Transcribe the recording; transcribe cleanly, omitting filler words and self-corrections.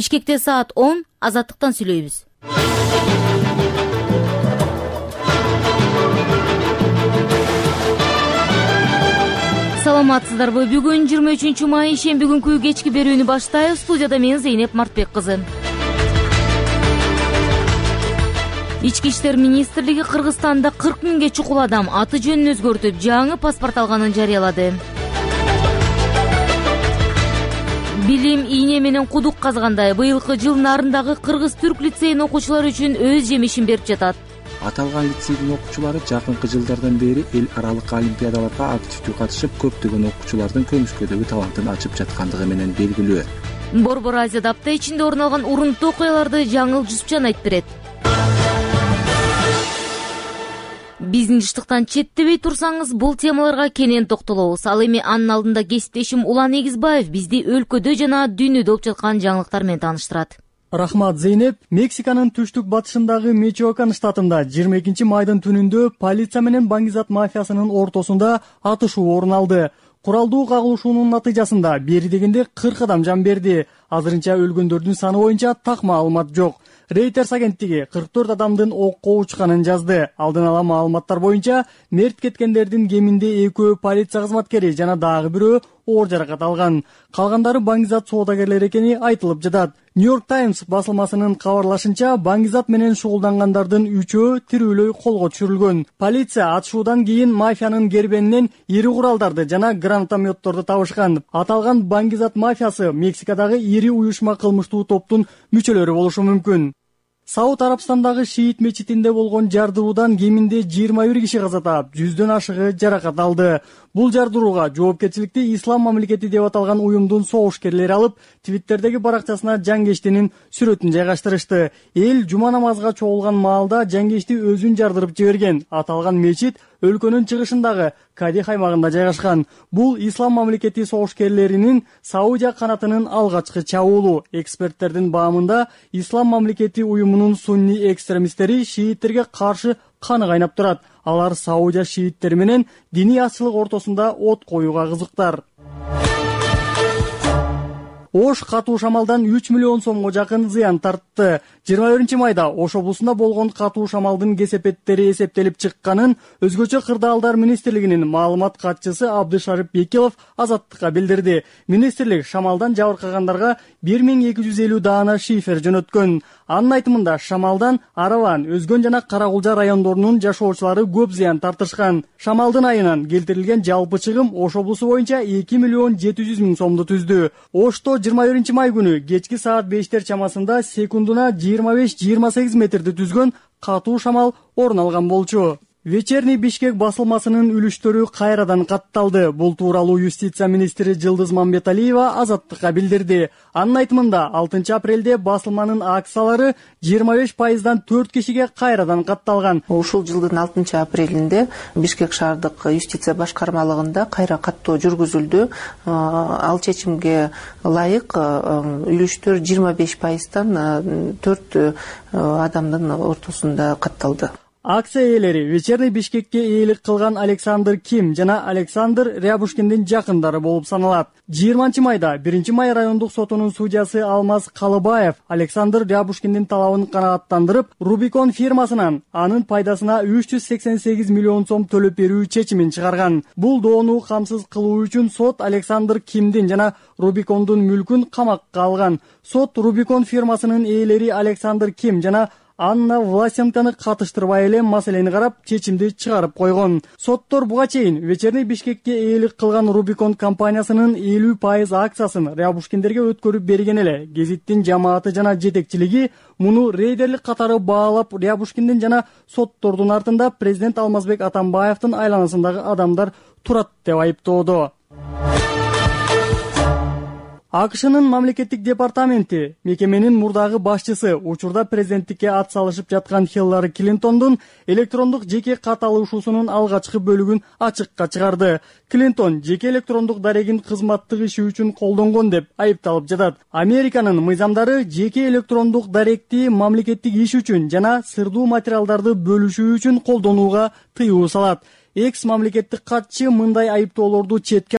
Бишкекте саат 10, Азаттыктан сүйлөйбүз. Саламатсыздарбы? Бүгүн 23 май шемби күнкү кечки берүүнү баштайбыз. Студияда мен Зейнеп Мартбек кызы. Ички иштер министрлиги Кыргызстанда 40 миңге чукул адам аты жөнүн өзгөртүп, жаңы паспорт алганын жарыялады. Билим ийне менен кудук казгандай быйылкы жыл нарындагы кыргыз-түрк лицейинин окуучулары үчүн өз жемишин берип жатат. Аталган лицейдин окуучулары жакынкы жылдардан бери эл аралык олимпиадаларга активдүү катышып, көптөгөн окуучулардын көмүскөдөгү талантын ачып жаткандыгы менен белгилүү. Борбор Азияда апта ичинде орун алган урунттуу окуяларды Жаңыл Жусупжан айтып берет. Биздин жыштыктан четтебей турсаңыз, бул темаларга кенен токтолобуз. Ал эми анын алдында кесиптешим Улан Эгизбаев бизди өлкөдө жана дүйнөдө болуп жаткан жаңылыктар менен тааныштырат. Рахмат, Зейнеп. Мексиканын түштүк батышындагы Мичоакан штатында 22 майдын түнүндө полиция менен баңгизат мафиясынын ортосунда атышуу орун алды. Куралдуу кагылышуунун натыйжасында бери дегенде 40 адам жан берди. Азырынча өлгөндөрдүн саны боюнча так маалымат жок. Reuters агенттиги 44 адамдын окко учканын жазды. Алдын ала маалыматтар боюнча мерт кеткендердин кеминде 2 полиция кызматкери жана дагы бирөө оор жаракат алган. Калгандары баңгизат соодагерлери экени айтылып жатат. New York Times басылмасынын кабарлашынча, баңгизат менен шугулдангандардын 3-өө тирүүлөй колго түшүрүлгөн. Полиция атышуудан кийин мафиянын кербенинен ири куралдарды жана гранатометторду табышкан. Аталган баңгизат мафиясы Мексикадагы ири уюшма кылмыштуу топтун мүчөлөрү болушу мүмкүн. Сауд Арабстандагы шиит мечитинде болгон жардыруудан кеминде 21 киши каза таап, 100дөн ашыгы жаракат алды. Бул жардырууга жоопкерчиликти Ислам мамлекети деп аталган уюмдун согушкерлери алып, Твиттердеги баракчасына жангештинин сүрөтүн жайгаштырышты. Эл жума намазга чогулган маалда жангешти өзүн жардырып жиберген. Аталган мечит өлкөнүн чыгышындагы Кадих аймагында жайгашкан. Бул Ислам мамлекети согушкерлеринин Саудия канатынын алгачкы чабуулу. Эксперттердин баамында Ислам мамлекети уюмунун сунни экстремисттери шииттерге каршы каны кайнап турат. Алар Саудия шииттери менен диний азчылык ортосунда от коюуга кызыктар. Ош катуу шамалдан 3 миллион сомго жакын зыян тартты. 21 майда Ош облусунда болгон катуу шамалдын кесепеттери эсептелип чыкканын Өзгөчө кырдаалдар министрлигинин маалымат катчысы Абдышарып Бекилов Азаттыкка билдирди. Министрлик шамалдан жабыркагандарга 1250 даана шифер жөнөткөн. Анын айтымында шамалдан Араван, Өзгөн жана Каракулжа райондорунун жашоочулары көп зыян тартышкан. Шамалдын айынан келтирилген жалпы чыгым Ош облусу боюнча 2 миллион 700 миң сомду түздү. Ошто 21 май күнү кечки саат 5 чамасында секундуна 25-28 метрди түзгөн катуу шамал орун алган болчу. Вечерний Бишкек басылмасынын үлүштөрү кайрадан катталды. Бул тууралуу юстиция министри Жылдыз Мамбеталиева Азаттыкка билдирди. Анын айтымында 6 апрелде басылманын акциялары 25%дан 4 кишиге кайрадан катталган. Ушул жылдын 6 апрелинде Бишкек шаардык юстиция башкармалыгында кайра каттоо жүргүзүлдү. Ал чечимге ылайык үлүштөр 25%дан 4 адамдын ортосунда катталды. Акция ээлери Вечерний Бишкекке ээлик кылган Александр Ким жана Александр Рябушкиндин жакындары болуп саналат. 20 майда 1 май райондук сотунун судьясы Алмаз Калыбаев Александр Рябушкиндин талабын канааттандырып, Рубикон фирмасынан анын пайдасына 388 миллион сом төлөп берүү чечимин чыгарган. Бул доону камсыз кылуу үчүн сот Александр Кимдин жана Рубикондун мүлкүн камакка алган. Сот Рубикон фирмасынын ээлери Александр Ким жана Анна Власенканы катыштырбай эле маселени карап, чечимди чыгарып койгон. Соттор буга чейин Вечерний Бишкекке ээлик кылган Рубикон компаниясынын 50% акциясын Рябушкиндерге өткөрүп берген эле. Гезиттин жамааты жана жетекчилиги муну рейдерлик катары баалап, Рябушкиндин жана соттордун артында президент Алмазбек Атамбаевдин айланасындагы адамдар турат деп айыптоодо. АКШнын мамлекеттик департаменти мекеменин мурдагы башчысы учурда президенттикке ат салышып жаткан Хиллари Клинтондун электрондук жеке кат алышуусунун алгачкы бөлүгүн ачыкка чыгарды. Клинтон жеке электрондук дарегин кызматтык иши үчүн колдонгон деп айыпталып жатат. Американын мыйзамдары жеке электрондук даректи мамлекеттик иш үчүн жана сырдуу материалдарды бөлүшүү үчүн колдонууга тыюу салат. Экс мамлекеттик катчы мындай айыптоолорду четке